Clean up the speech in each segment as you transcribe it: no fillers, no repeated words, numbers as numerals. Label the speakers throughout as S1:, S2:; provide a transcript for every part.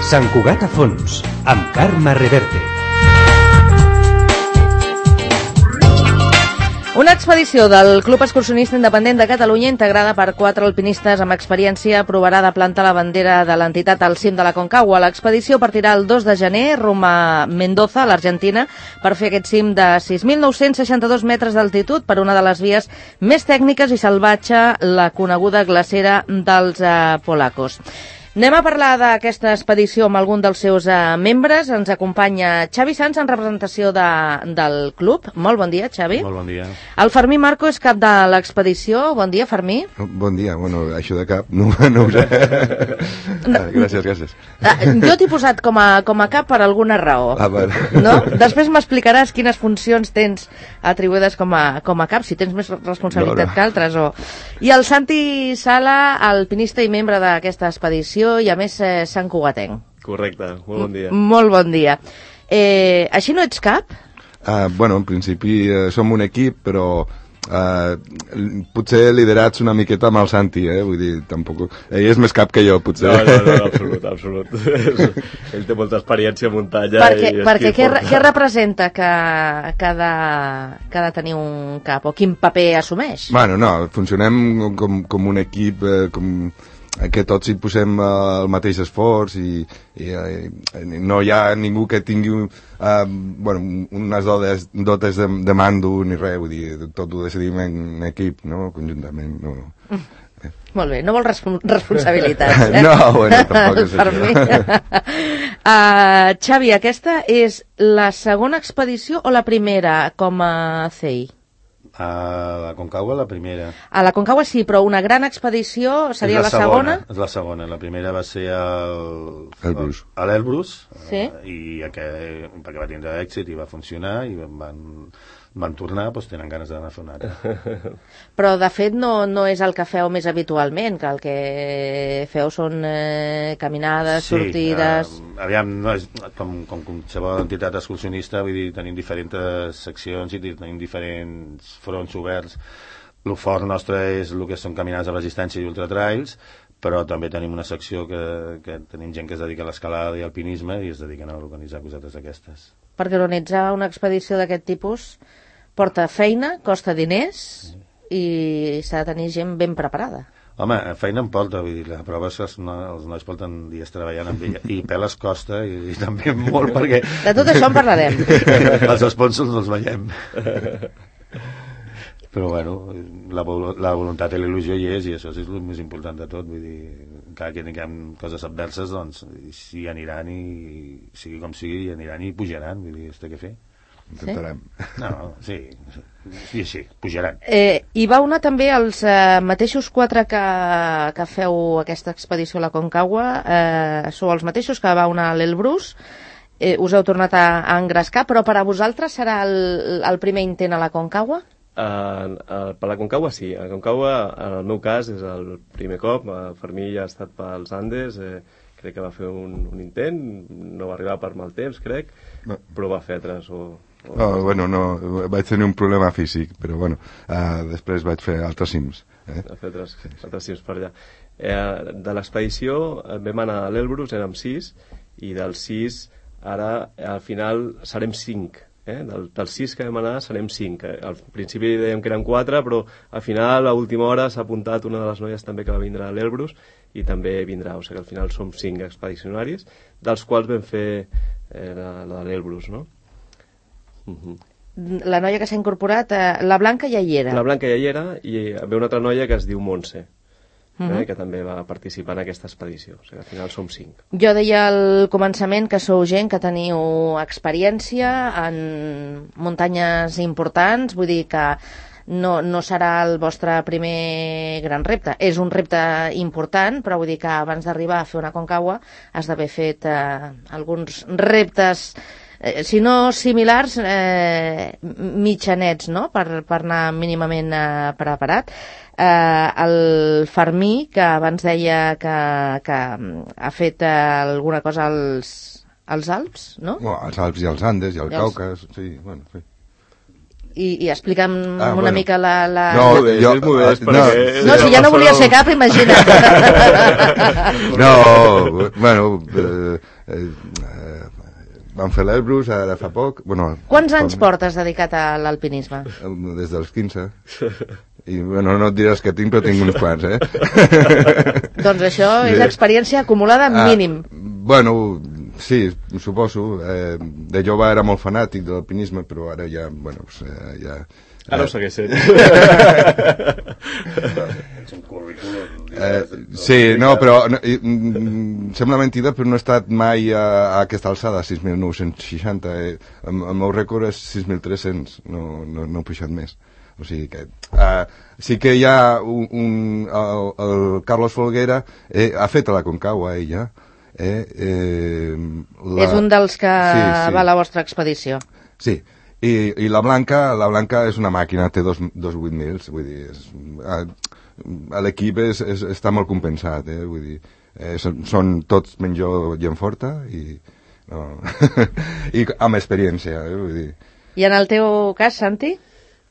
S1: Sant Cugat a fons, amb Carme Reverte.
S2: Una expedició del Club Excursionista Independent de Catalunya integrada per 4 alpinistes amb experiència provarà de plantar la bandera de l'entitat al cim de la Concagua. L'expedició partirà el 2 de gener rumb a Mendoza, a l'Argentina, per fer aquest cim de 6.962 metres d'altitud per una de les vies més tècniques i salvatge, la coneguda glacera dels Polacos. Anem a parlar d'aquesta expedició amb algun dels seus membres. Ens acompanya Xavi Sans en representació del club. Molt bon dia, Xavi.
S3: Molt bon dia.
S2: El Fermí Marco és cap de l'expedició. Bon dia, Fermí.
S4: Bon dia. Bueno, això de cap no ho sé. Gràcies.
S2: Jo t'he posat com a cap per alguna raó. No? Després m'explicaràs quines funcions tens atribuïdes com a cap, si tens més responsabilitat que altres. I el Santi Sala, alpinista i membre d'aquesta expedició, i a més santcugatenc.
S3: Correcte, molt bon dia.
S2: Molt bon dia. Així no ets cap?
S4: Bueno, en principi som un equip, però potser liderats una miqueta amb el Santi, vull dir, tampoc... Ell és més cap que jo, potser.
S3: No, absolut. Ell té molta experiència a muntanya.
S2: Perquè què representa que ha de tenir un cap, o quin paper assumeix?
S4: Bueno, no, funcionem com un equip, que tots hi posem el mateix esforç i no hi ha ningú que tingui unes dotes de mando ni res, vull dir, tot ho decidim en equip, no? Conjuntament. No.
S2: Molt bé, no vol responsabilitats,
S4: No, bueno, tampoc és això.
S2: Xavi, aquesta és la segona expedició o la primera com a CEI?
S3: A la Concagua la primera.
S2: A la Concagua sí, però una gran expedició seria la segona?
S3: És la segona. La primera va ser a l'Elbrus,
S2: sí?
S3: perquè va tindre èxit i va funcionar i van tornar, doncs tenen ganes d'anar a fer una altra.
S2: Però de fet no és el que feu més habitualment, que el que feu són caminades, sortides...
S3: Aviam, no és com qualsevol entitat excursionista, vull dir, tenim diferents seccions i tenim diferents fronts oberts. El fort nostre és el que són caminades de resistència i ultratrails, però també tenim una secció que tenim gent que es dedica a l'escalada i alpinisme i es dediquen a organitzar cosetes d'aquestes.
S2: Perquè organitzar una expedició d'aquest tipus porta feina, costa diners i s'ha de tenir gent ben preparada.
S3: Home, feina em porta, vull dir, la prova és que els nois porten dies treballant amb ella i peles costa i també molt perquè...
S2: De tot això en parlarem.
S3: Els sponsors els veiem. Però bueno, la voluntat i la il·lusió hi és i això és el més important de tot, vull dir, encara que tinguem coses adverses, doncs si aniran i sigui com sigui, hi aniran i pujaran, vull dir, es té que fer.
S4: Intentarem.
S3: No, sí, pujaran.
S2: Hi va una també els mateixos 4 que feu aquesta expedició a la Concagua, sou els mateixos que va una a l'Elbrus, us heu tornat a engrescar, però per a vosaltres serà el primer intent a la Concagua?
S5: Per la Concagua sí, a la Concagua en el meu cas és el primer cop, Fermí ja ha estat pels Andes, crec que va fer un intent, no va arribar per mal temps, crec, però va fer altres
S4: vaig tenir un problema físic, però bueno, després vaig fer altres cims.
S5: Va fer altres cims per allà. De l'expedició vam anar a l'Elbrus, érem 6, i dels 6 ara al final serem 5. Dels 6 que vam anar serem 5. Al principi dèiem que eren 4, però al final a última hora s'ha apuntat una de les noies també que va vindre a l'Elbrus i també vindrà, o sigui que al final som 5 expedicionaris, dels quals vam fer la de l'Elbrus, no?
S2: La noia que s'ha incorporat, la Blanca ja hi era.
S5: La Blanca ja hi era i ve una altra noia que es diu Montse, que també va participar en aquesta expedició, o sigui que al final som 5.
S2: Jo deia al començament que sou gent que teniu experiència en muntanyes importants, vull dir que no serà el vostre primer gran repte. És un repte important, però vull dir que abans d'arribar a fer una Concagua has d'haver fet alguns reptes, si no similars, mitjanets, no? Per anar mínimament preparat. El Fermí, que abans deia que ha fet alguna cosa als Alps, no?
S4: Els Alps i els Andes i el Caucas, sí, bueno, sí.
S2: I explica'm una
S4: bueno.
S2: mica la...
S4: No,
S5: És modest, perquè...
S2: No, si ja no volia ser cap, imagina't.
S4: No, bueno, vam fer l'Elbrus ara fa poc. Bueno,
S2: Quants anys portes dedicat a l'alpinisme?
S4: Des dels 15. I, bueno, no et diré els que tinc, però tinc uns quants,
S2: Doncs això és experiència acumulada mínim.
S4: Bueno, sí, suposo. De jove era molt fanàtic de l'alpinisme, però ara ja, bueno, ja...
S5: Ara ho segueix sent.
S4: Sí, no, però sembla mentida, però no he estat mai a aquesta alçada, 6.960. El meu rècord és 6.300, no he pujat més. O sigui que sí que hi ha el Carlos Folguera ha fet a la Concagua, ella.
S2: És un dels que va a la vostra expedició.
S4: Sí, i la Blanca és una màquina, té dos 8.000, vull dir, l'equip està molt compensat, vull dir, són tots menys jo gent forta i amb experiència, vull dir.
S2: I en el teu cas, Santi?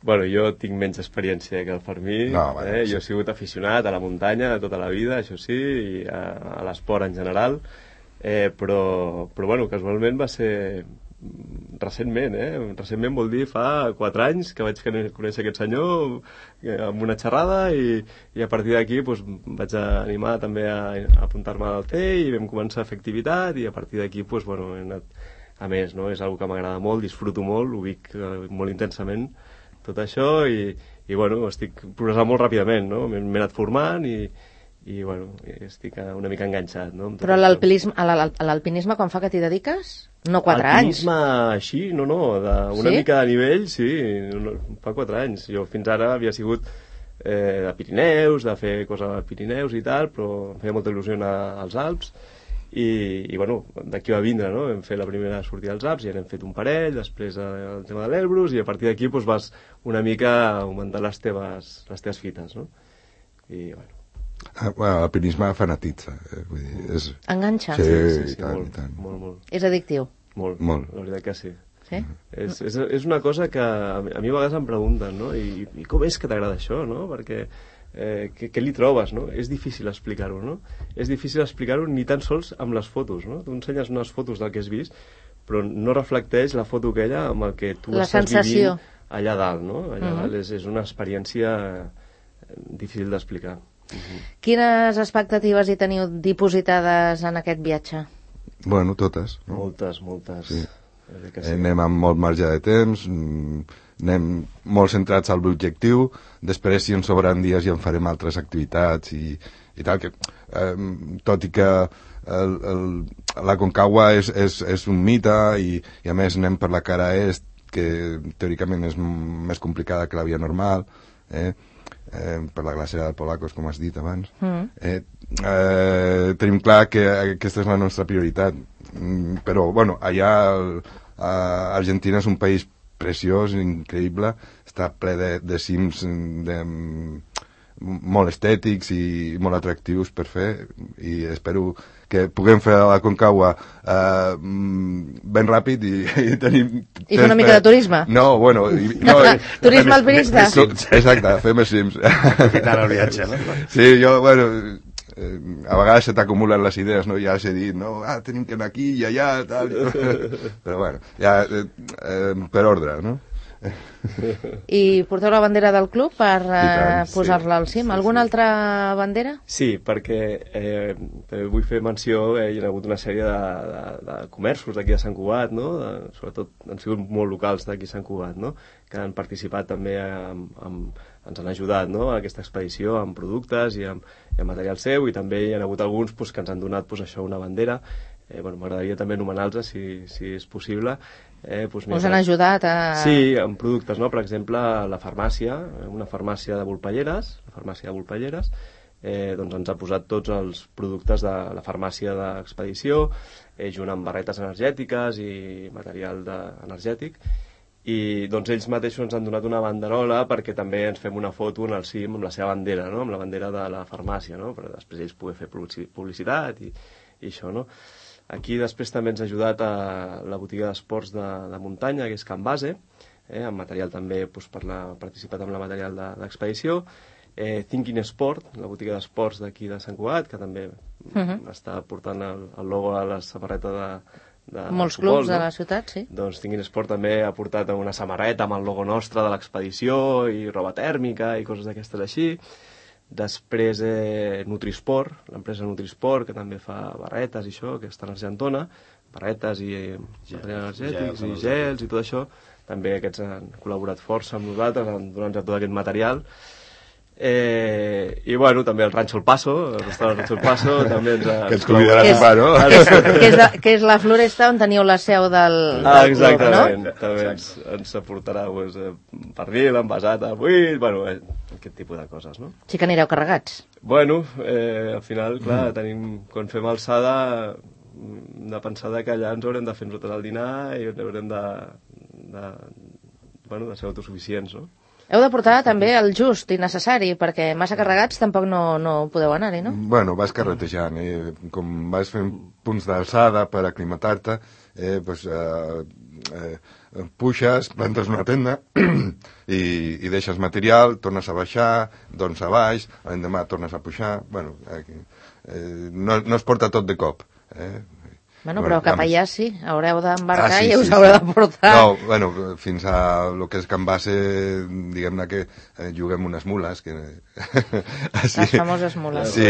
S5: Bueno, jo tinc menys experiència que el Fermí. Jo he sigut aficionat a la muntanya tota la vida, això sí, i a l'esport en general, però bueno, casualment va ser recentment, recentment vol dir fa 4 anys que vaig conèixer aquest senyor amb una xerrada i a partir d'aquí vaig animar també a apuntar-me al CEI i vam començar a fer activitat i a partir d'aquí he anat a més, no? És una que m'agrada molt, disfruto molt, ho vic molt intensament tot això i bueno, estic progressant molt ràpidament, no? M'he anat formant i bueno, estic una mica enganxat, no?
S2: Però a l'alpinisme quan fa que t'hi dediques? No 4 anys.
S5: Alpinisme així, no, d'una mica de nivell, sí, fa 4 anys. Jo fins ara havia sigut de Pirineus, de fer coses a Pirineus i tal, però em feia molta il·lusió anar als Alps i bueno, d'aquí va vindre, no? Vam fer la primera sortida als Alps i n'hem fet un parell, després el tema de l'Elbrus i a partir d'aquí vas una mica augmentant les teves fites, no? I bueno.
S4: L'alpinisme fanatitza, vull dir,
S2: enganxa?
S4: Sí,
S5: molt,
S4: tant.
S5: Molt.
S2: És addictiu?
S5: Molt, la veritat que sí.
S2: Sí?
S5: És una cosa que a mi a vegades em pregunten, no? I com és que t'agrada això, no? Perquè què li trobes, no? És difícil explicar-ho, no? És difícil explicar-ho ni tan sols amb les fotos, no? Tu ensenyes unes fotos del que has vist, però no reflecteix la foto aquella amb el que tu estàs vivint allà dalt, no? Allà dalt és una experiència difícil d'explicar.
S2: Quines expectatives hi teniu dipositades en aquest viatge?
S4: Bueno, totes. No?
S5: Moltes.
S4: Sí.
S5: Sí.
S4: Anem amb molt marge de temps, anem molt centrats al l'objectiu, després si ens sobran dies ja en farem altres activitats i tal, que tot i que la Concagua és un mite i a més anem per la cara est, que teòricament és més complicada que la via normal, per la glacera del Polacos, com has dit abans. Tenim clar que aquesta és la nostra prioritat, però bueno, allà Argentina és un país preciós, increïble, està ple de cims molt estètics i molt atractius per fer i espero que puguem fer la Concagua ben ràpid i tenim...
S2: I fer una mica de turisme?
S4: No, bueno...
S2: Turisme alpinista?
S4: Exacte, fer més cims.
S3: Aprofitant el viatge, no?
S4: Sí, jo, bueno... a vegades se t'acumulen les idees, no? Ja has dit, no? Tenim que anar aquí i allà, tal... Però bueno, ja per ordre, no?
S2: I porteu la bandera del club per posar-la al cim?
S5: Sí,
S2: Alguna altra bandera?
S5: Sí, perquè vull fer menció, hi ha hagut una sèrie de comerços d'aquí de Sant Cugat, no? Sobretot han sigut molt locals d'aquí a Sant Cugat, no? Que han participat també ens han ajudat, no? A aquesta expedició amb productes i amb material seu i també hi ha hagut alguns que ens han donat això, una bandera. M'agradaria també anomenar-los si és possible.
S2: Us han ajudat a...
S5: Sí, amb productes, no? Per exemple, la farmàcia, una farmàcia de Volpelleres, doncs ens ha posat tots els productes de la farmàcia d'expedició, junt amb barretes energètiques i material energètic, i doncs ells mateixos ens han donat una banderola perquè també ens fem una foto en el cim amb la seva bandera, no? Amb la bandera de la farmàcia, no? Per després ells poder fer publicitat i això, no? Aquí després també ens ha ajudat a la botiga d'esports de muntanya, que és Can Base, amb material també participat amb la material d'expedició. Thinking Sport, la botiga d'esports d'aquí de Sant Cugat, que també està portant el logo a la samarreta de
S2: molts
S5: futbol,
S2: clubs de la ciutat, sí.
S5: Doncs Thinking Sport també ha portat una samarreta amb el logo nostre de l'expedició i roba tèrmica i coses d'aquestes així. Després Nutrisport, l'empresa Nutrisport, que també fa barretes i això, que està a l'Argentona, barretes i materials energètics i gels i tot això. També aquests han col·laborat força amb nosaltres, han donat tot aquest material. I bueno, també el Rancho El Paso, el restaurant Rancho El Paso també
S4: que ens convidarà a sopar, no?
S2: Que és la floresta on teniu la seu del
S5: exactament,
S2: club, no?
S5: També ens aportarà pernil, envasat a buit, bueno, aquest tipus de coses, no?
S2: Sí que anireu carregats.
S5: Bueno, al final, clar, quan fem alçada de pensar que allà ens haurem de fer nosaltres el dinar i haurem de ser autosuficients, no?
S2: Heu de portar també el just i necessari, perquè massa carregats tampoc no podeu anar-hi, no?
S4: Bueno, vas carretejant, com vas fent punts d'alçada per aclimatar-te, puixes, plantes una tenda i deixes material, tornes a baixar, doncs a baix, l'endemà tornes a pujar, bueno, no es porta tot de cop,
S2: Bueno, però cap allà sí, haureu d'embarcar i us haureu de portar.
S4: No, bueno, fins a lo que és Can Base, diguem-ne que juguem unes mules.
S2: Les famoses mules.
S4: Sí.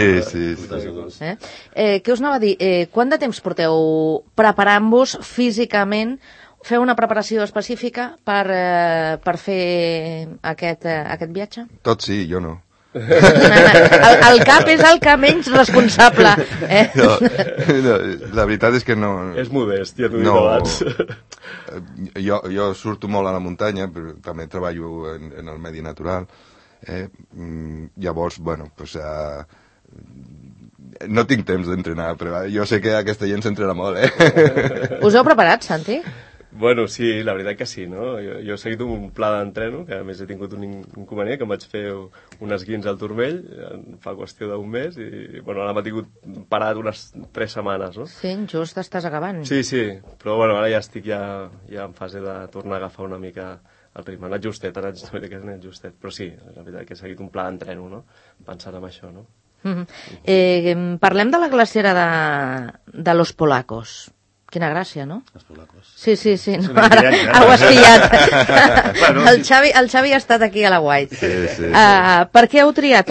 S2: Què us anava a dir? Quant de temps porteu preparant-vos físicament? Feu una preparació específica per fer aquest viatge?
S4: Tot sí, jo no.
S2: El cap és el que menys responsable.
S4: No, la veritat és que no...
S5: És modest, ja t'ho dic abans.
S4: Jo surto molt a la muntanya, però també treballo en el medi natural. Llavors, bueno, pues, no tinc temps d'entrenar, però jo sé que aquesta gent s'entrena molt,
S2: Us heu preparat, Santi?
S5: Bueno, sí, la veritat que sí, no? Jo he seguit un pla d'entreno, que a més he tingut un inconvenient, que em vaig fer un esguins al turmell fa qüestió d'un mes, i bueno, ara m'ha tingut parat unes 3 setmanes, no?
S2: Sí, just estàs acabant.
S5: Sí, però bueno, ara ja estic ja en fase de tornar a agafar una mica el ritme. Ha anat justet, però sí, la veritat que he seguit un pla d'entreno, no? Pensant en això, no?
S2: Parlem de la glacera de Los Polacos. Quina gràcia, no?
S3: Els polacos.
S2: Sí. No, ara ho has pillat. El Xavi ha estat aquí a la White.
S4: Sí.
S2: Per què heu triat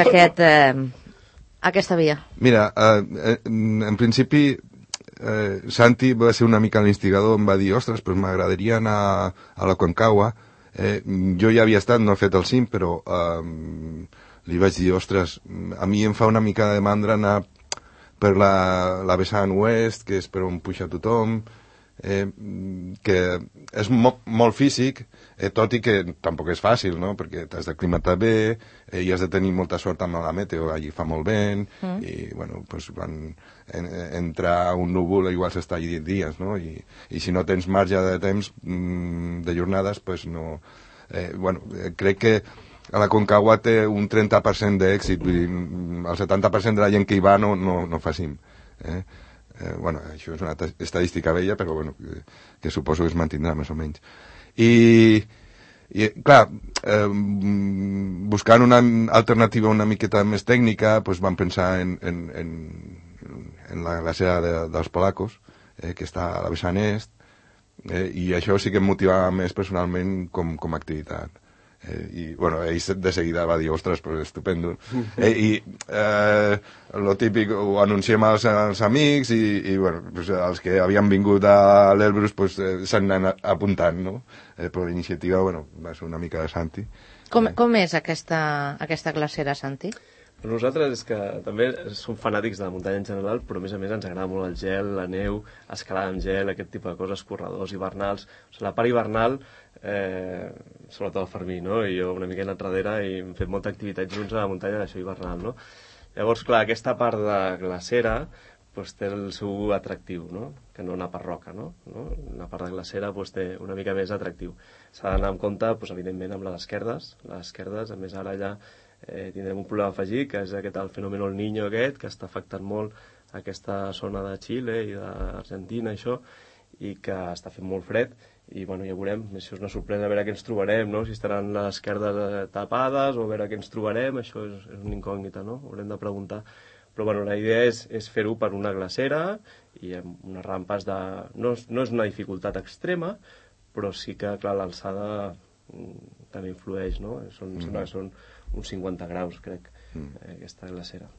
S2: aquesta via?
S4: Mira, en principi, Santi va ser una mica l'instigador, em va dir, ostres, però m'agradaria anar a la Concagua. Jo ja havia estat, no he fet el cim, però li vaig dir, ostres, a mi em fa una mica de mandra anar per la vessant oest, que és per on puja tothom, que és molt físic, tot i que tampoc és fàcil, no? Perquè t'has d'aclimatar bé, i has de tenir molta sort amb la meteo, allí fa molt vent, i bueno, pues, quan entra un núvol igual s'està allí dies, no? I si no tens marge de temps de jornades, pues no... crec que a la Concagua té un 30% d'èxit, el 70% de la gent que hi va no fa cim. Això és una estadística vella, però bueno, que suposo que es mantindrà més o menys. I clar, buscant una alternativa una miqueta més tècnica, doncs vam pensar en la glacera dels Polacos, que està a la vessant est, i això sí que em motivava més personalment com a activitat. I bueno, ell de seguida va dir, ostres, pues estupendo. Lo típic, ho anunciem als amics i bueno, pues, els que havien vingut a l'Elbrus pues, s'han anat apuntant, no? Però l'iniciativa, bueno, va ser una mica de Santi.
S2: Com és aquesta glacera, Santi?
S5: Nosaltres és que també som fanàtics de la muntanya en general, però a més ens agrada molt el gel, la neu, escalar amb gel, aquest tipus de coses, corredors hivernals. O sigui, la part hivernal, sobretot el Fermí, no? I jo una mica he anat darrere i hem fet molta activitat junts a la muntanya d'això hivernal, no? Llavors, clar, aquesta part de glacera pues, té el seu atractiu, no? Que no anar per roca, no? La part de glacera pues, té una mica més atractiu. S'ha d'anar amb compte, pues, evidentment, amb les esquerdes. Les esquerdes, a més, ara ja tindrem un problema afegit, que és el fenomen El Niño aquest, que està afectant molt aquesta zona de Xile i d'Argentina, això, i que està fent molt fred, i bueno, ja veurem, això és una sorpresa a veure què ens trobarem, no? Si estaran les esquerdes tapades o a veure què ens trobarem, això és una incògnita, no? Haurem de preguntar. Però bueno, la idea és fer-ho per una glacera i amb unes rampes de... No és una dificultat extrema, però sí que, clar, l'alçada també influeix, no? Sembla que són uns 50 graus, crec, aquesta glacera.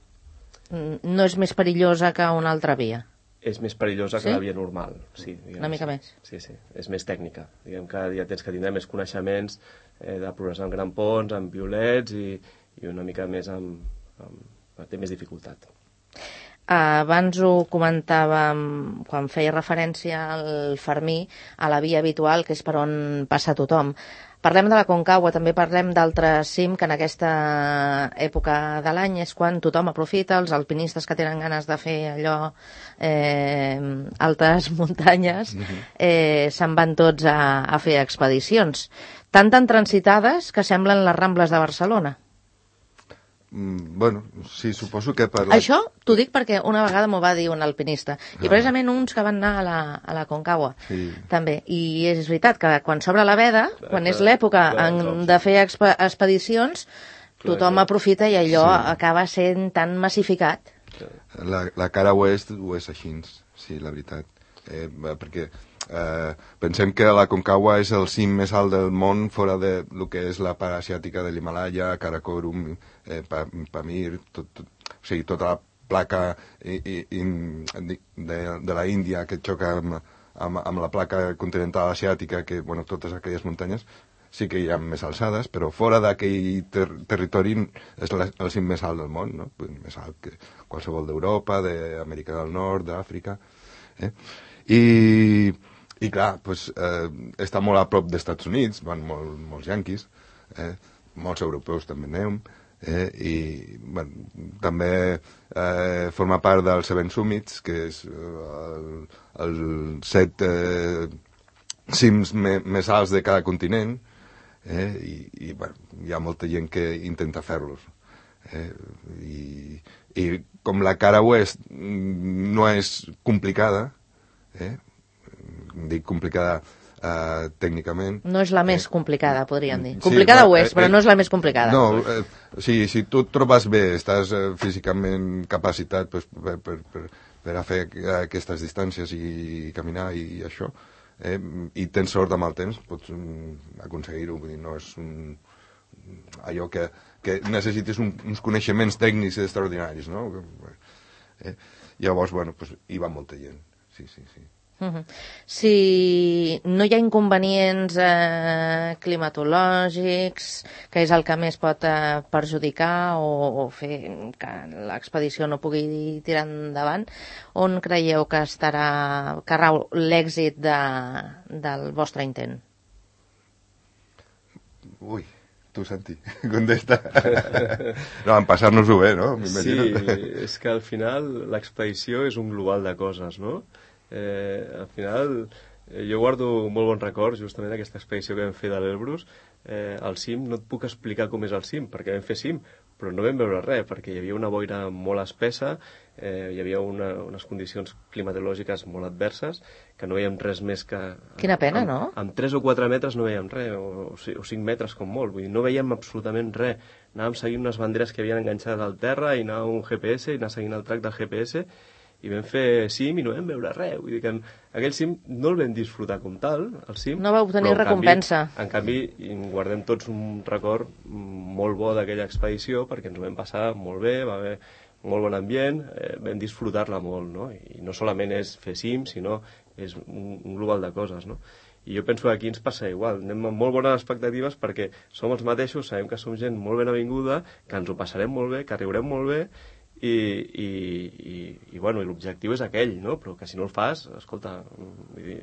S2: No és més perillosa que una altra via?
S5: És més perillosa que la via normal, sí.
S2: Una mica més?
S5: Sí, és més tècnica. Diguem que ja tens que tindre més coneixements de progressar amb grampons, amb violets i una mica més té més dificultat.
S2: Abans ho comentàvem quan feia referència al Fermí, a la via habitual, que és per on passa tothom. Parlem de la Concagua, també parlem d'altres cim que en aquesta època de l'any és quan tothom aprofita, els alpinistes que tenen ganes de fer allò, altes muntanyes, se'n van tots a fer expedicions. Tan transitades que semblen les Rambles de Barcelona.
S4: Bueno, sí, suposo que per...
S2: Això t'ho dic perquè una vegada m'ho va dir un alpinista, i precisament uns que van anar a la Concagua, també. I és veritat que quan s'obre la veda, quan és l'època de fer expedicions, tothom aprofita i allò acaba sent tan massificat.
S4: La cara oest ho és així, sí, la veritat. Perquè pensem que la Concagua és el cim més alt del món fora de lo que és la part asiàtica de l'Himalaya, Karakorum, Pamir, o sigui, tota la placa de la Índia que xoca amb la placa continental asiàtica, que, bueno, totes aquelles muntanyes sí que hi ha més alçades, però fora d'aquell territori és el cim més alt del món, no? Més alt que qualsevol d'Europa, d'Amèrica del Nord, d'Àfrica. I clar, pues, està molt a prop dels Estats Units, van molts yanquis, molts europeus també anem, i bueno, també forma part dels Seven Summits, que és els 7 cims més alts de cada continent, i bueno, hi ha molta gent que intenta fer-los. I com la cara oest no és complicada, dic complicada tècnicament...
S2: No és la més complicada, podríem dir. Complicada ho és, però no és la més complicada.
S4: No, si tu et trobes bé, estàs físicament capacitat per a fer aquestes distàncies i caminar i això, i tens sort amb el temps, pots aconseguir-ho. Vull dir, no és allò que necessites uns coneixements tècnics extraordinaris, no? Llavors, bueno, hi va molta gent, sí.
S2: Si no hi ha inconvenients climatològics, que és el que més pot perjudicar o fer que l'expedició no pugui tirar endavant, on creieu que rau l'èxit del vostre intent?
S4: Ui, tu, Santi, contesta. No, en passar-nos-ho bé, no?
S5: Sí, és que al final l'expedició és un global de coses, no? Al final jo guardo molt bons records justament d'aquesta expedició que vam fer de l'Elbrus. Al cim no et puc explicar com és el cim, perquè vam fer cim, però no vam veure res, perquè hi havia una boira molt espessa, hi havia unes condicions climatològiques molt adverses, que no veiem res més que...
S2: Quina pena, no?
S5: Amb 3 o 4 metres no veiem res, o 5 metres com molt, vull dir, no veiem absolutament res. Anàvem seguint unes banderes que havien enganxades al terra, i anava un GPS, i anava seguint el track del GPS, i vam fer cim i no vam veure res. Vull dir que aquell cim no el vam disfrutar com tal, el cim.
S2: No vau obtenir recompensa.
S5: En canvi, guardem tots un record molt bo d'aquella expedició, perquè ens ho vam passar molt bé, va haver molt bon ambient, vam disfrutar-la molt, no? I no solament és fer cim, sinó és un global de coses, no? I jo penso que aquí ens passa igual, anem amb molt bones expectatives perquè som els mateixos, sabem que som gent molt ben avinguda, que ens ho passarem molt bé, que riurem molt bé, i bueno, l'objectiu és aquell, no? Però que si no el fas, escolta, vull dir,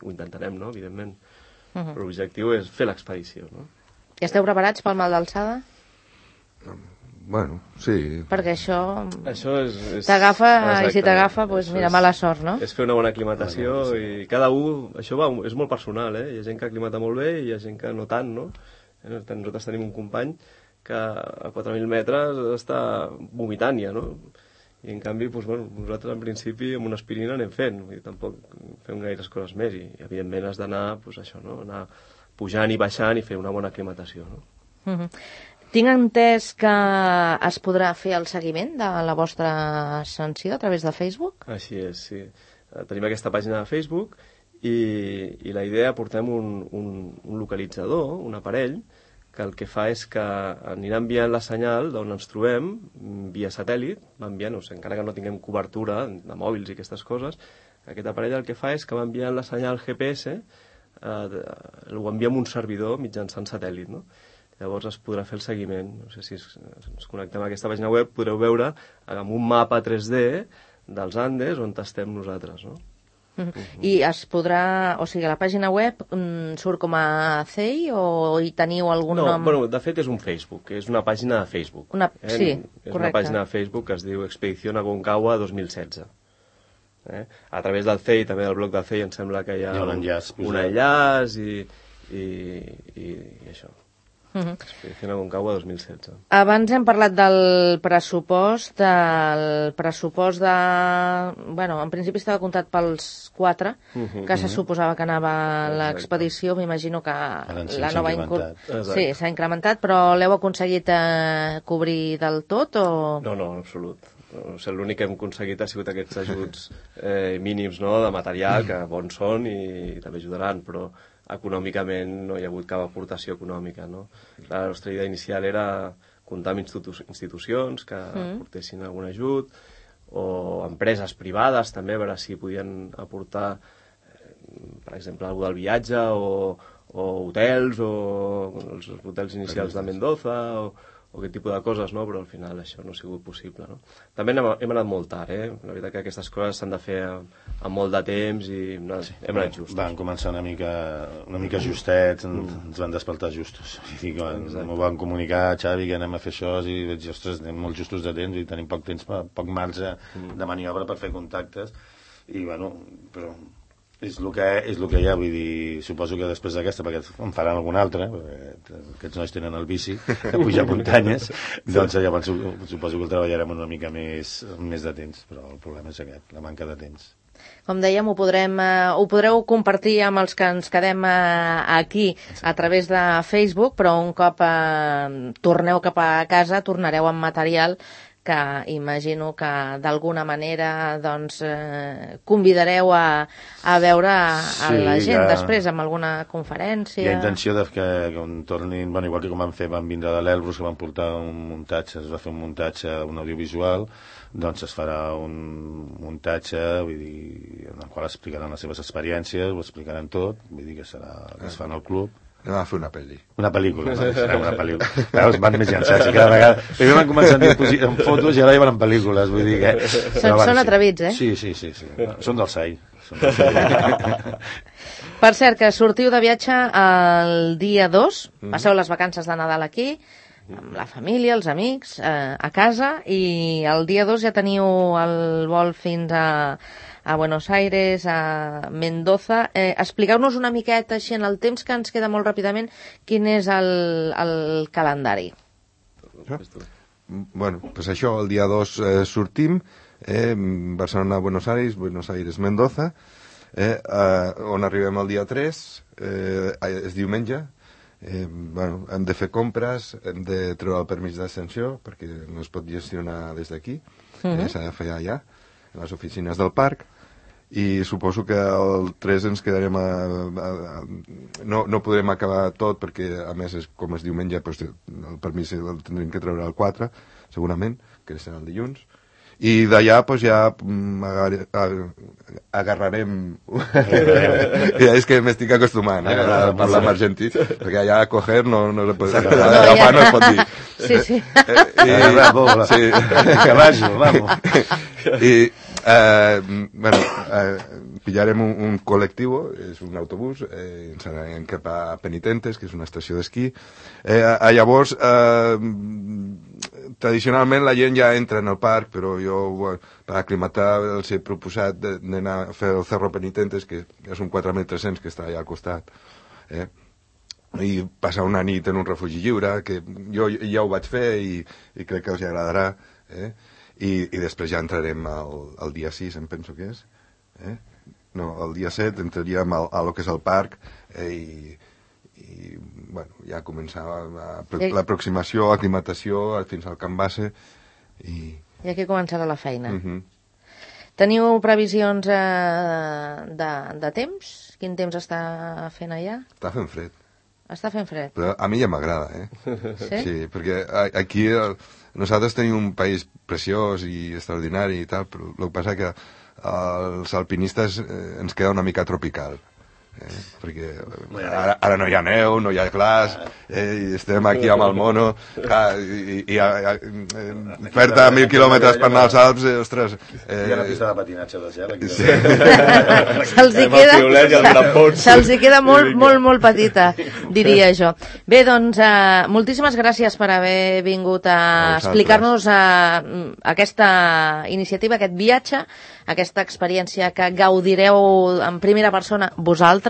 S5: ho intentarem, no? Evidentment. Però l'objectiu és fer l'expedició, no?
S2: I esteu preparats pel mal d'alçada?
S4: Bueno, sí.
S2: Perquè això
S5: és
S2: t'agafa, i si t'agafa, doncs mira, mala sort, no?
S5: És fer una bona aclimatació, i cada un, això és molt personal, Hi ha gent que aclimata molt bé i hi ha gent que no tant, no? Nosaltres tenim un company que a 4.000 metres està vomitant ja, no? I en canvi, doncs, bueno, nosaltres en principi amb una aspirina anem fent, vull dir, tampoc fem gaires coses més i evidentment has d'anar, doncs això, no? Anar pujant i baixant i fer una bona aclimatació, no?
S2: Tinc entès que es podrà fer el seguiment de la vostra ascensió a través de Facebook?
S5: Així és, sí. Tenim aquesta pàgina de Facebook i la idea, portem un localitzador, un aparell, que el que fa és que anirà enviant la senyal d'on ens trobem via satèl·lit, va enviant, encara que no tinguem cobertura de mòbils i aquestes coses, aquest aparell el que fa és que va enviant la senyal GPS, ho envia amb un servidor mitjançant satèl·lit, no? Llavors es podrà fer el seguiment. No sé si ens connectem a aquesta pàgina web, podreu veure amb un mapa 3D dels Andes on estem nosaltres, no?
S2: I es podrà... O sigui, a la pàgina web surt com a CEI o hi teniu algun nom?
S5: No, bueno, de fet és un Facebook, és una pàgina de Facebook.
S2: Sí,
S5: és
S2: correcte.
S5: una pàgina de Facebook que es diu Expedición Aconcagua 2016. A través del CEI, també del blog del CEI, em sembla que hi ha
S3: un
S5: enllaç i això. Expedición Aconcagua 2016.
S2: Abans hem parlat del pressupost de... Bueno, en principi estava comptat pels 4, que se suposava que anava a l'expedició. M'imagino que la nova
S5: Sí,
S2: s'ha incrementat, però l'heu aconseguit cobrir del tot o...?
S5: No, en absolut. O sigui, l'únic que hem aconseguit ha sigut aquests ajuts mínims, no?, de material, que bons són i també ajudaran, però econòmicament no hi ha hagut cap aportació econòmica, no? La nostra idea inicial era comptar amb institucions que aportessin algun ajut, o empreses privades també, a veure si podien aportar, per exemple, alguna del viatge, o hotels, o els hotels inicials de Mendoza, o aquest tipus de coses, no? Però al final això no ha sigut possible, no? També hem anat molt tard, La veritat que aquestes coses s'han de fer amb molt de temps i hem anat justos.
S3: Van començar una mica justets, ens van despertar justos. M'ho van comunicar, Xavi, que anem a fer això, i vaig dir, ostres, anem molt justos de temps, i tenim poc temps, poc marge de maniobra per fer contactes, i bueno, però... És el que hi ha, vull dir, suposo que després d'aquesta, perquè en faran alguna altra, perquè aquests nois tenen el bici, de pujar muntanyes, doncs llavors suposo que el treballarem una mica més de temps, però el problema és aquest, la manca de temps.
S2: Com dèiem, ho podreu compartir amb els que ens quedem aquí a través de Facebook, però un cop torneu cap a casa, tornareu amb material que imagino que d'alguna manera doncs, convidareu a veure a la gent després amb alguna conferència.
S3: Hi ha intenció que quan tornin, bueno, igual que com van vindre de l'Elbrus, que van portar un muntatge, es va fer un muntatge, un audiovisual, doncs es farà un muntatge, vull dir, en el qual explicaran les seves experiències, ho explicaran tot, vull dir que serà que es fa en el club.
S4: Anem a fer una pel·li.
S3: Una pel·lícula, serà una pel·lícula. Veus, van més llançats, i cada vegada... Primer van començar en fotos i ara ja van en pel·lícules, vull dir que...
S2: Són atrevits, eh?
S3: Sí. Són del SAI.
S2: Per cert, que sortiu de viatge el dia 2, passeu les vacances de Nadal aquí, amb la família, els amics, a casa, i el dia 2 ja teniu el vol fins a Buenos Aires, a Mendoza. Expliqueu-nos una miqueta, així en el temps que ens queda molt ràpidament, quin és el calendari.
S4: Bueno, pues això, el dia 2 sortim, Barcelona, Buenos Aires, Mendoza, on arribem el dia 3, és diumenge. Bueno, hem de fer compres, hem de treure el permís d'ascensió, perquè no es pot gestionar des d'aquí, s'ha de fer allà, a les oficines del parc, i suposo que el 3 ens quedarem no podrem acabar tot, perquè a més com és diumenge, doncs, el permís el tindrem que treure el 4 segurament, que serà el dilluns, i d'allà doncs, ja agarrarem ja és que m'estic acostumant a parlar amb argentí, perquè allà a coger no es pot dir.
S2: Sí.
S3: Caballo, vamos.
S4: I bueno, pillarem un col·lectiu, és un autobús, ens anirem cap a Penitentes, que és una estació d'esquí. Llavors, tradicionalment la gent ja entra en el parc, però jo, per aclimatar, els he proposat d'anar a fer el Cerro Penitentes, que és un 4.300 que està allà al costat, i passar una nit en un refugi lliure, que jo ja ho vaig fer i crec que els agradarà, i després ja entrarem el dia 6, em penso que és. No, el dia 7 entraríem a lo que és el parc i bueno, ja començava l'aproximació, aclimatació fins al camp base i
S2: aquí començarà la feina. Teniu previsions de temps? Quin temps està fent allà?
S4: Està fent fred.
S2: Està fent fred.
S4: Però a mi ja m'agrada,
S2: Sí?
S4: Sí, perquè aquí nosaltres tenim un país preciós i extraordinari i tal, però el que passa que els alpinistes ens queda una mica tropical. Perquè ara no hi ha neu, no hi ha glaç, i estem aquí amb el mono, i fer-te 1.000 quilòmetres per anar als Alps, ostres...
S3: Hi ha una pista de patinatge de gel aquí.
S2: Se'ls queda molt petita, diria jo. Bé, doncs, moltíssimes gràcies per haver vingut a explicar-nos aquesta iniciativa, aquest viatge, aquesta experiència que gaudireu en primera persona vosaltres,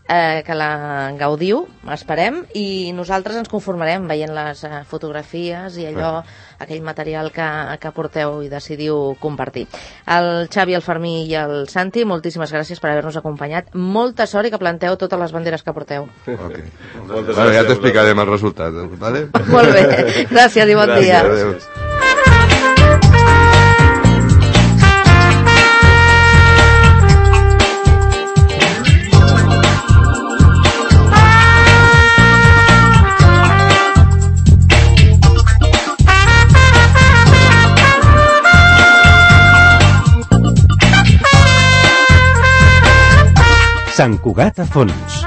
S2: que la gaudiu, esperem, i nosaltres ens conformarem veient les fotografies i allò, aquell material que porteu i decidiu compartir. El Xavi, el Fermí i el Santi, moltíssimes gràcies per haver-nos acompanyat. Molta sort i que planteu totes les banderes que porteu.
S4: Okay. Bueno, ja t'explicarem el resultat, ¿vale?
S2: Molt bé, gràcies i bon dia.
S4: Adéu.
S1: Sant Cugat a fons.